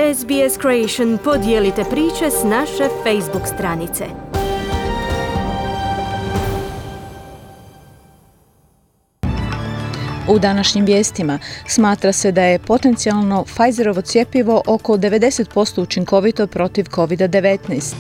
SBS Creation podijelite priče s naše Facebook stranice. U današnjim vijestima smatra se da je potencijalno Pfizerovo cjepivo oko 90% učinkovito protiv COVID-19.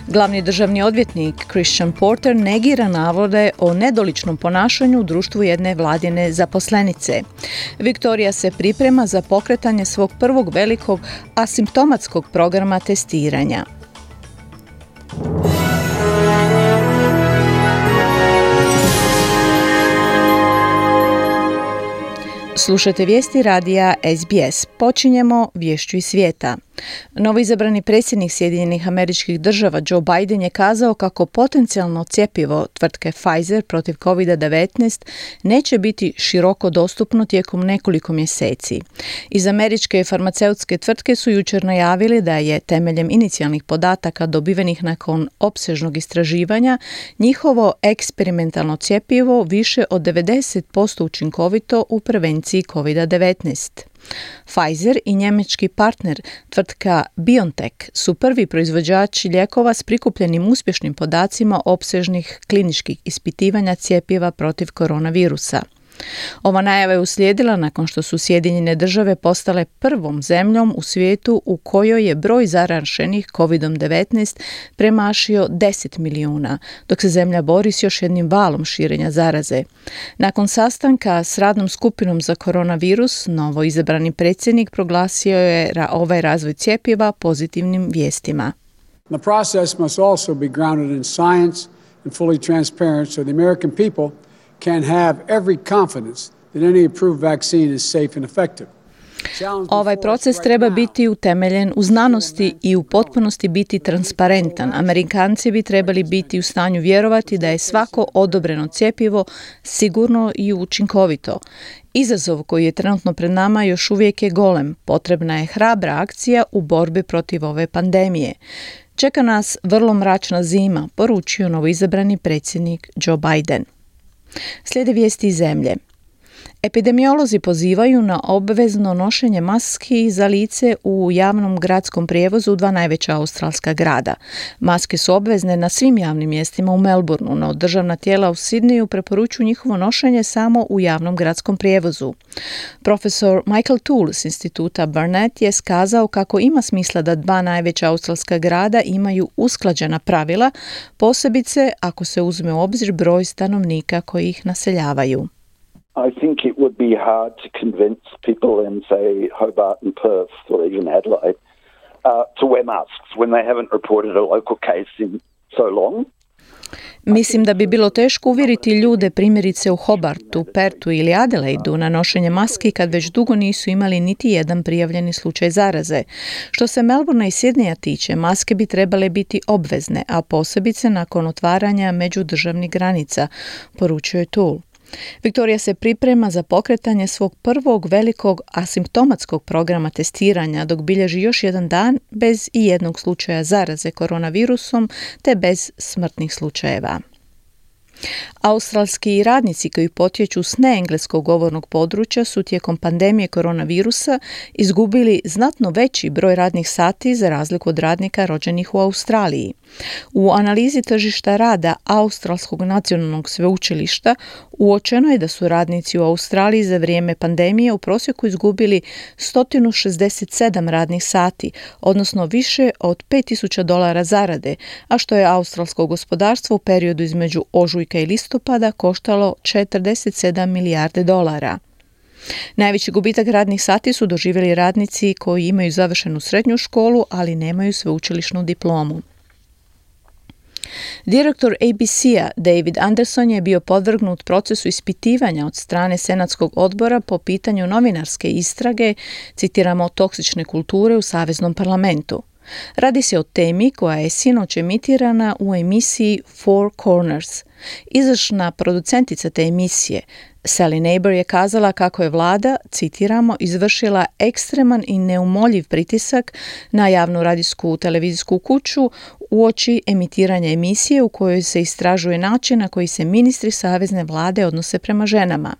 Glavni državni odvjetnik Christian Porter negira navode o nedoličnom ponašanju u društvu jedne vladine zaposlenice. Viktorija se priprema za pokretanje svog prvog velikog asimptomatskog programa testiranja. Slušajte vijesti radija SBS. Počinjemo viješću iz svijeta. Novoizabrani predsjednik Sjedinjenih Američkih Država Joe Biden je kazao kako potencijalno cjepivo tvrtke Pfizer protiv COVID-19 neće biti široko dostupno tijekom nekoliko mjeseci. Iz američke farmaceutske tvrtke su jučer najavili da je temeljem inicijalnih podataka dobivenih nakon opsežnog istraživanja njihovo eksperimentalno cjepivo više od 90% učinkovito u prevenciji COVID-19. Pfizer i njemački partner tvrtka BioNTech su prvi proizvođači lijekova s prikupljenim uspješnim podacima opsežnih kliničkih ispitivanja cjepiva protiv koronavirusa. Ova najava je uslijedila nakon što su Sjedinjene Države postale prvom zemljom u svijetu u kojoj je broj zaraženih COVID-19 premašio 10 milijuna, dok se zemlja bori s još jednim valom širenja zaraze. Nakon sastanka s radnom skupinom za koronavirus, novo izabrani predsjednik proglasio je ovaj razvoj cjepiva pozitivnim vijestima. The process must also be grounded in science and fully transparent so the American people can have every confidence that any approved vaccine is safe and effective. Ovaj proces treba biti utemeljen u znanosti i u potpunosti biti transparentan. Amerikanci bi trebali biti u stanju vjerovati da je svako odobreno cjepivo sigurno i učinkovito. Izazov koji je trenutno pred nama još uvijek je golem. Potrebna je hrabra akcija u borbi protiv ove pandemije. Čeka nas vrlo mračna zima, poručio novoizabrani predsjednik Joe Biden. Slijede vijesti iz zemlje. Epidemiolozi pozivaju na obvezno nošenje maski za lice u javnom gradskom prijevozu u dva najveća australska grada. Maske su obvezne na svim javnim mjestima u Melbourneu, no državna tijela u Sydneyu preporučuju njihovo nošenje samo u javnom gradskom prijevozu. Profesor Michael Toole s instituta Barnett je skazao kako ima smisla da dva najveća australska grada imaju usklađena pravila, posebice ako se uzme u obzir broj stanovnika koji ih naseljavaju. I think it would be hard to convince people in, say, Hobart and Perth or even Adelaide to wear masks when they haven't reported a local case in so long. Mislim da bi bilo teško uvjeriti ljude primjerice u Hobartu, Pertu ili Adelaidu na nošenje maski kad već dugo nisu imali niti jedan prijavljeni slučaj zaraze. Što se Melbournea i Sydneya tiče, maske bi trebale biti obvezne, a posebice nakon otvaranja međudržavnih granica, poručio je Toole. Viktorija se priprema za pokretanje svog prvog velikog asimptomatskog programa testiranja dok bilježi još jedan dan bez i jednog slučaja zaraze koronavirusom te bez smrtnih slučajeva. Australski radnici koji potječu s neengleskog govornog područja su tijekom pandemije koronavirusa izgubili znatno veći broj radnih sati za razliku od radnika rođenih u Australiji. U analizi tržišta rada Australskog nacionalnog sveučilišta uočeno je da su radnici u Australiji za vrijeme pandemije u prosjeku izgubili 167 radnih sati, odnosno više od $5,000 zarade, a što je australsko gospodarstvo u periodu između ožujka i listopada koštalo $47 milijarde. Najveći gubitak radnih sati su doživjeli radnici koji imaju završenu srednju školu, ali nemaju sveučilišnu diplomu. Direktor ABC-a David Anderson je bio podvrgnut procesu ispitivanja od strane Senatskog odbora po pitanju novinarske istrage, citiramo, toksične kulture u Saveznom parlamentu. Radi se o temi koja je sinoć emitirana u emisiji Four Corners. Izvršna producentica te emisije, Sally Neighbor, je kazala kako je vlada, citiramo, izvršila ekstreman i neumoljiv pritisak na javnu radijsku televizijsku kuću uoči emitiranja emisije u kojoj se istražuje način na koji se ministri savezne vlade odnose prema ženama.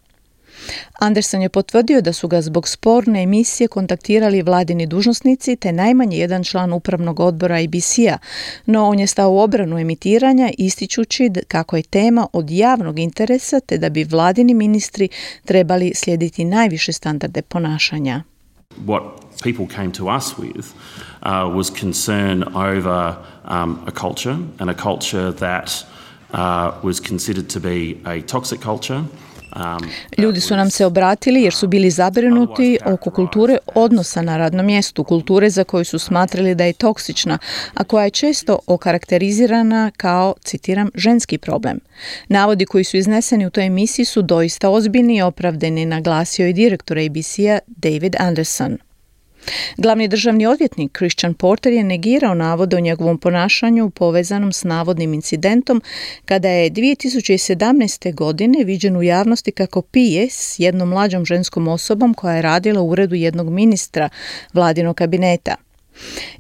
Anderson je potvrdio da su ga zbog sporne emisije kontaktirali vladini dužnosnici te najmanje jedan član upravnog odbora ABC-a, no on je stao u obranu emitiranja ističući kako je tema od javnog interesa te da bi vladini ministri trebali slijediti najviše standarde ponašanja. What people came to us with was concern over a culture and a culture that was considered to be a toxic culture. Ljudi su nam se obratili jer su bili zabrinuti oko kulture odnosa na radnom mjestu, kulture za koju su smatrali da je toksična, a koja je često okarakterizirana kao, citiram, ženski problem. Navodi koji su izneseni u toj emisiji su doista ozbiljni i opravdani, naglasio je direktor ABC-a David Anderson. Glavni državni odvjetnik Christian Porter je negirao navode o njegovom ponašanju povezanom s navodnim incidentom kada je 2017. godine viđen u javnosti kako pije s jednom mlađom ženskom osobom koja je radila u uredu jednog ministra vladinog kabineta.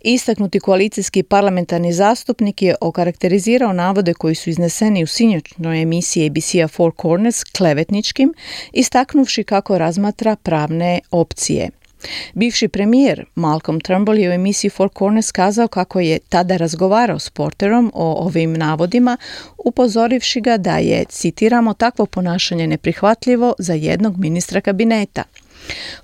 Istaknuti koalicijski parlamentarni zastupnik je okarakterizirao navode koji su izneseni u sinoćnoj emisiji ABC-a Four Corners klevetničkim, istaknuvši kako razmatra pravne opcije. Bivši premijer Malcolm Turnbull je u emisiji Four Corners kazao kako je tada razgovarao s Porterom o ovim navodima, upozorivši ga da je, citiramo, takvo ponašanje neprihvatljivo za jednog ministra kabineta.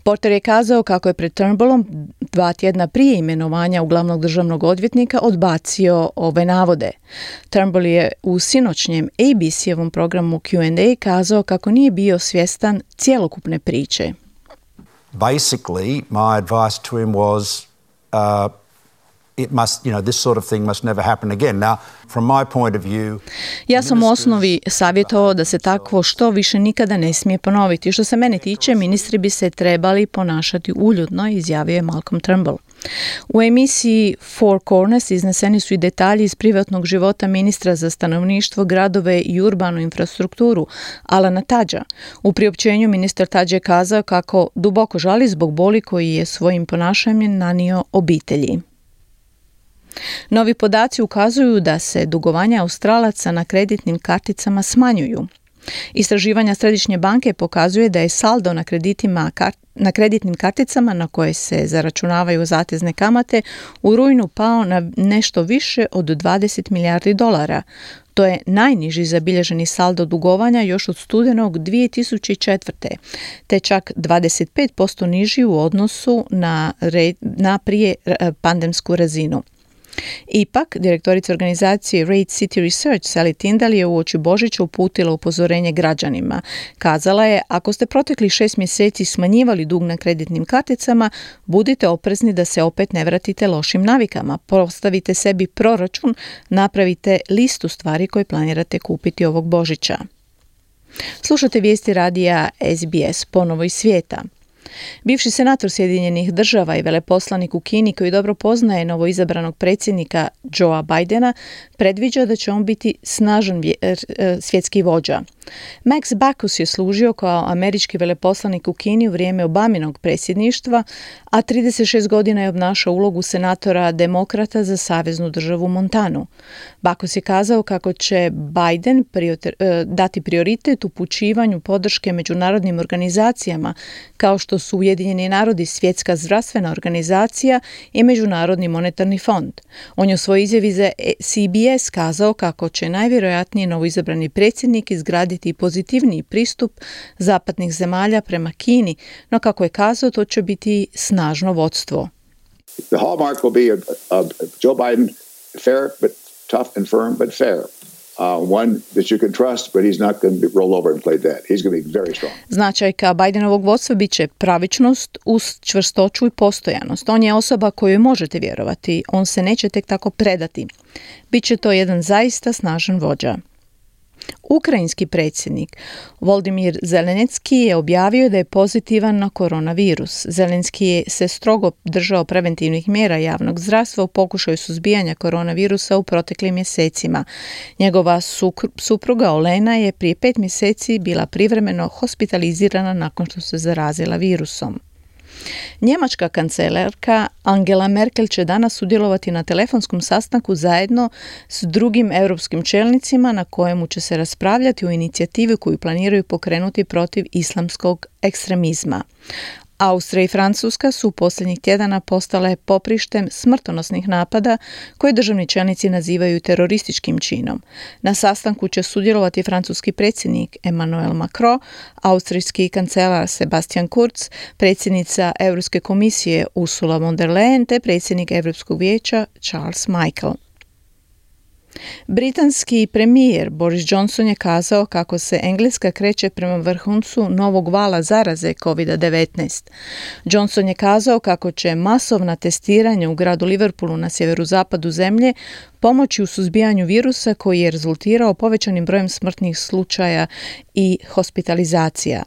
Porter je kazao kako je pred Turnbullom 2 tjedna prije imenovanja u glavnog državnog odvjetnika odbacio ove navode. Turnbull je u sinoćnjem ABC-ovom programu Q&A kazao kako nije bio svjestan cjelokupne priče. Basically, my advice to him was, it must, this sort of thing must never happen again. Now, from my point of view, ja sam u osnovi savjetovao da se takvo što više nikada ne smije ponoviti. Što se mene tiče, ministri bi se trebali ponašati uljudno, izjavio je Malcolm Turnbull. U emisiji Four Corners izneseni su i detalji iz privatnog života ministra za stanovništvo, gradove i urbanu infrastrukturu, Alana Tudgea. U priopćenju ministar Tudge je kazao kako duboko žali zbog boli koji je svojim ponašanjem nanio obitelji. Novi podaci ukazuju da se dugovanja Australaca na kreditnim karticama smanjuju. Istraživanja Središnje banke pokazuje da je saldo na kreditnim karticama na koje se zaračunavaju zatezne kamate u rujnu pao na nešto više od 20 milijardi dolara. To je najniži zabilježeni saldo dugovanja još od studenog 2004. te čak 25% niži u odnosu na prije pandemsku razinu. Ipak, direktorica organizacije Rate City Research Sally Tyndall je uoči Božića uputila upozorenje građanima. Kazala je, ako ste proteklih 6 mjeseci smanjivali dug na kreditnim karticama, budite oprezni da se opet ne vratite lošim navikama. Postavite sebi proračun, napravite listu stvari koje planirate kupiti ovog Božića. Slušate vijesti radija SBS ponovo iz svijeta. Bivši senator Sjedinjenih država i veleposlanik u Kini koji dobro poznaje novoizabranog predsjednika Joea Bidena predviđa da će on biti snažan svjetski vođa. Max Baucus je služio kao američki veleposlanik u Kini u vrijeme Obaminog predsjedništva, a 36 godina je obnašao ulogu senatora demokrata za saveznu državu Montanu. Baucus je kazao kako će Biden dati prioritet upućivanju podrške međunarodnim organizacijama kao što su Ujedinjeni narodi, Svjetska zdravstvena organizacija i Međunarodni monetarni fond. On je u svojoj izjavi za CBS kazao kako će najvjerojatnije novoizabrani predsjednik izgraditi pozitivniji pristup zapadnih zemalja prema Kini, no kako je kazao, to će biti snažno vodstvo. The hallmark will be a Joe Biden fair but tough and firm but fair. One that you can trust, but he's not going to roll over and play dead. He's going to be very strong. Značajka Bidenovog vodstva bit će pravičnost uz čvrstoću i postojanost. On je osoba kojoj možete vjerovati. On se neće tek tako predati. Biće to jedan zaista snažan vođa. Ukrajinski predsjednik Volodymyr Zelenski je objavio da je pozitivan na koronavirus. Zelenski je se strogo držao preventivnih mjera javnog zdravstva u pokušaju suzbijanja koronavirusa u proteklim mjesecima. Njegova supruga Olena je prije 5 mjeseci bila privremeno hospitalizirana nakon što se zarazila virusom. Njemačka kancelarka Angela Merkel će danas sudjelovati na telefonskom sastanku zajedno s drugim europskim čelnicima na kojemu će se raspravljati o inicijativi koju planiraju pokrenuti protiv islamskog ekstremizma. Austrija i Francuska su posljednjih tjedana postale poprištem smrtonosnih napada koje državni čelnici nazivaju terorističkim činom. Na sastanku će sudjelovati francuski predsjednik Emmanuel Macron, austrijski kancelar Sebastian Kurz, predsjednica Europske komisije Ursula von der Leyen te predsjednik Europskog vijeća Charles Michel. Britanski premijer Boris Johnson je kazao kako se Engleska kreće prema vrhuncu novog vala zaraze COVID-19. Johnson je kazao kako će masovna testiranja u gradu Liverpoolu na sjeverozapadu zemlje pomoći u suzbijanju virusa koji je rezultirao povećanim brojem smrtnih slučaja i hospitalizacija.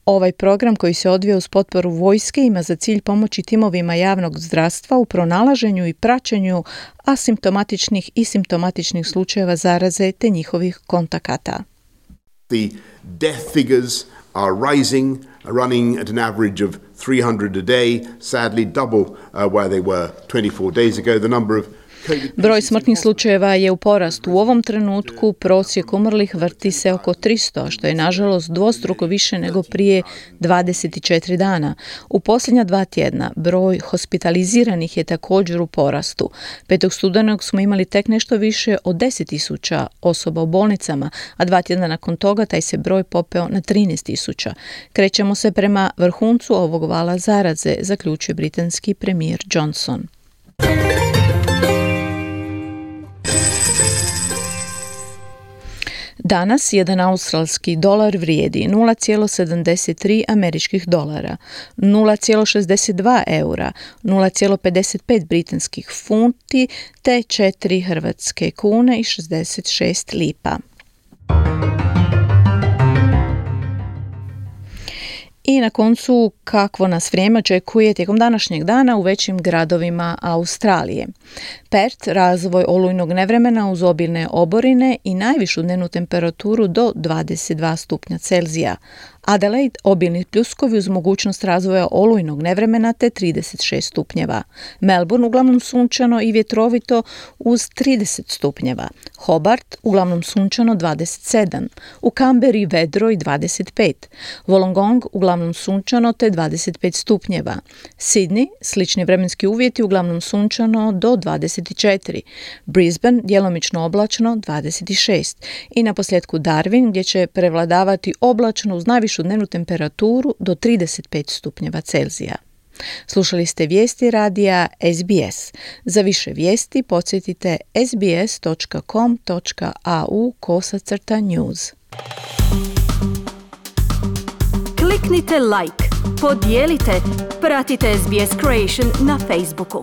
Ovaj program koji se odvija uz potporu vojske ima za cilj pomoći timovima javnog zdravstva u pronalaženju i praćenju asimptomatičnih i simptomatičnih slučajeva zaraze te njihovih kontakata. The death figures are rising, running at an average of 300 a day, sadly double where they were 24 days ago. The number of Broj smrtnih slučajeva je u porastu. U ovom trenutku prosjek umrlih vrti se oko 300, što je nažalost dvostruko više nego prije 24 dana. U posljednja 2 tjedna broj hospitaliziranih je također u porastu. 5. studenog smo imali tek nešto više od 10.000 osoba u bolnicama, a 2 tjedna nakon toga taj se broj popeo na 13.000. Krećemo se prema vrhuncu ovog vala zaraze, zaključuje britanski premijer Johnson. Danas jedan australski dolar vrijedi 0,73 američkih dolara, 0,62 eura, 0,55 britanskih funti te 4 hrvatske kune i 66 lipa. I na koncu, kakvo nas vrijeme očekuje tijekom današnjeg dana u većim gradovima Australije. Perth, razvoj olujnog nevremena uz obilne oborine i najvišu dnevnu temperaturu do 22 stupnja Celzija. Adelaide, obilni pljuskovi uz mogućnost razvoja olujnog nevremena te 36 stupnjeva. Melbourne, uglavnom sunčano i vjetrovito uz 30 stupnjeva. Hobart, uglavnom sunčano 27. U Canberri vedro i 25. Wollongong, uglavnom sunčano te 25 stupnjeva. Sydney, slični vremenski uvjeti, uglavnom sunčano do 24. Brisbane, djelomično oblačno 26. I na posljedku Darwin, gdje će prevladavati oblačno uz najvišu dnevnu temperaturu do 35 stupnjeva Celzija. Slušali ste vijesti radija SBS. Za više vijesti podsjetite sbs.com.au/news. Kliknite like, podijelite, pratite SBS Creation na Facebooku.